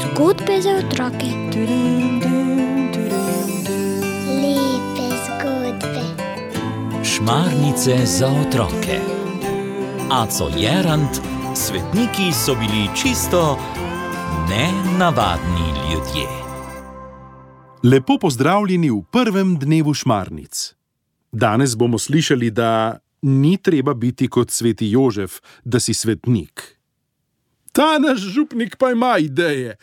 Zgodbe za otroke. Lepe zgodbe. Šmarnice za otroke. Aco Jerant, svetniki so bili čisto nenavadni ljudje. Lepo pozdravljeni v prvem dnevu šmarnic. Danes bomo slišali, da ni treba biti kot sveti Jožef, da si svetnik. Ta naš župnik pa ima ideje,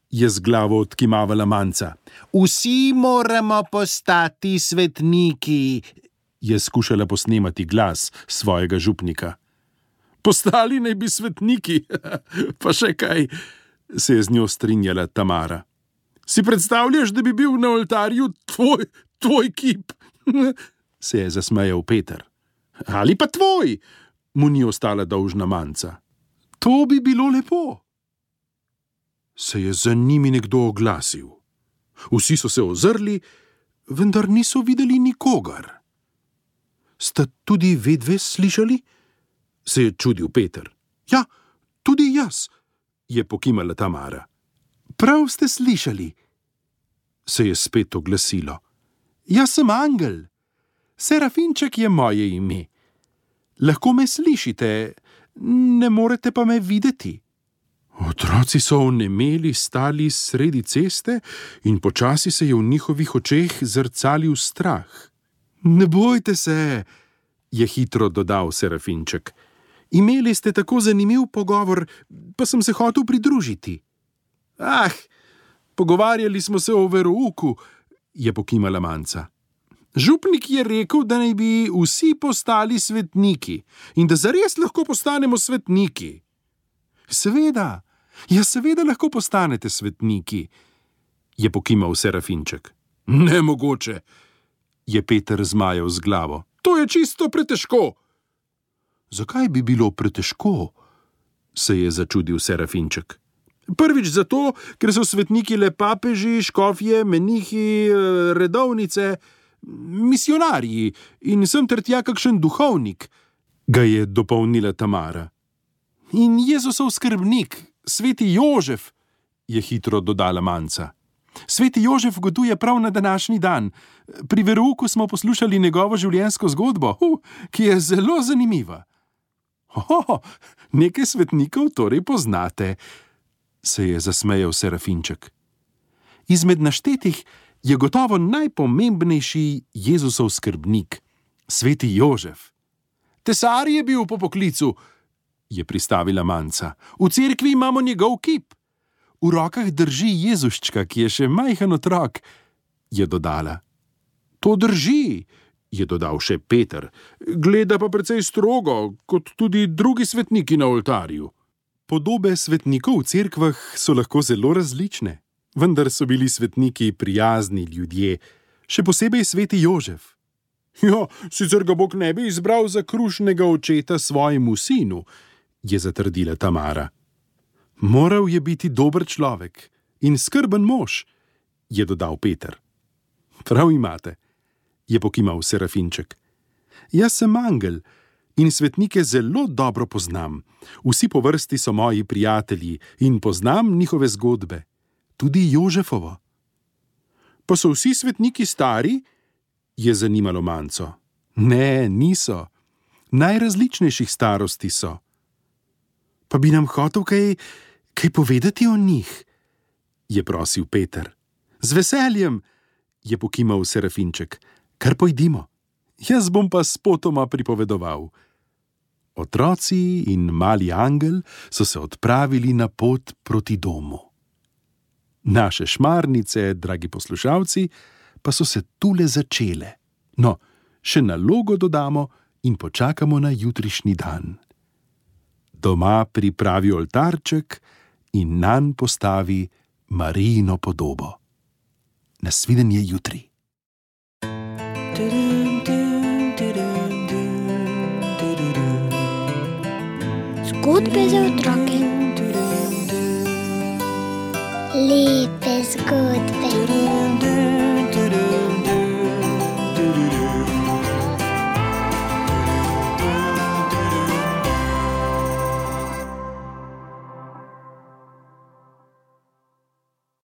je z glavo odkimavala Manca. Vsi moramo postati svetniki, je skušala posnemati glas svojega župnika. Postali naj bi svetniki, pa še kaj, se je z njo strinjala Tamara. Si predstavljaš, da bi bil na oltarju tvoj kip? Se je zasmejal Peter. Ali pa tvoj, mu ni ostala dolžna Manca. To bi bilo lepo. Se je za njimi nekdo oglasil. Vsi so se ozrli, vendar niso videli nikogar. Sta tudi vedve slišali? Se je čudil Peter. Ja, tudi jaz, je pokimala Tamara. Prav ste slišali, se je spet oglasilo. Jaz sem angel. Serafinček je moje ime. Lahko me slišite, ne morete pa me videti. Otroci so onemeli stali sredi ceste in počasi se je v njihovih očeh zrcalil strah. Ne bojte se, je hitro dodal Serafinček. Imeli ste tako zanimiv pogovor, pa sem se hotel pridružiti. Pogovarjali smo se o verouku, je pokimala Manca. Župnik je rekel, da naj bi vsi postali svetniki in da zares lahko postanemo svetniki. Seveda lahko postanete svetniki, je pokimal Serafinček. Nemogoče, je Peter zmajal z glavo. To je čisto pretežko. Zakaj bi bilo pretežko? Se je začudil Serafinček. Prvič zato, ker so svetniki le papeži, škofje, menihi, redovnice, misionarji in sem ter tja kakšen duhovnik, ga je dopolnila Tamara. In Jezusov skrbnik, sveti Jožef, je hitro dodala Manca. Sveti Jožef goduje prav na današnji dan. Pri verouku smo poslušali njegovo življenjsko zgodbo, ki je zelo zanimiva. Nekaj svetnikov torej poznate, se je zasmejal Serafinček. Izmed naštetih je gotovo najpomembnejši Jezusov skrbnik, sveti Jožef. Tesar je bil po poklicu, je pristavila Manca. V cerkvi imamo njegov kip. V rokah drži Jezuščka, ki je še majhen otrok, je dodala. To drži, je dodal še Peter. Gleda pa precej strogo, kot tudi drugi svetniki na oltarju. Podobe svetnikov v cerkvah so lahko zelo različne, vendar so bili svetniki prijazni ljudje, še posebej sveti Jožef. Sicer ga Bog ne bi izbral za krušnega očeta svojemu sinu, je zatrdila Tamara. Moral je biti dober človek in skrben mož, je dodal Peter. Prav imate, je pokimal Serafinček. Jaz sem angel in svetnike zelo dobro poznam. Vsi po vrsti so moji prijatelji in poznam njihove zgodbe, tudi Jožefovo. Pa so vsi svetniki stari? Je zanimalo Manco. Ne, niso. Najrazličnejših starosti so. Pa bi nam hotel kaj povedati o njih, je prosil Peter. Z veseljem, je pokimal Serafinček. Kar pojdimo. Jaz bom pa spotoma pripovedoval. Otroci in mali angel so se odpravili na pot proti domu. Naše šmarnice, dragi poslušalci, pa so se tule začele. No, še nalogo dodamo in počakamo na jutrišnji dan. Doma pripravi oltarček in nanj postavi Marijino podobo. Nasvidenje jutri. Zgodbe za otroke. Lepe zgodbe.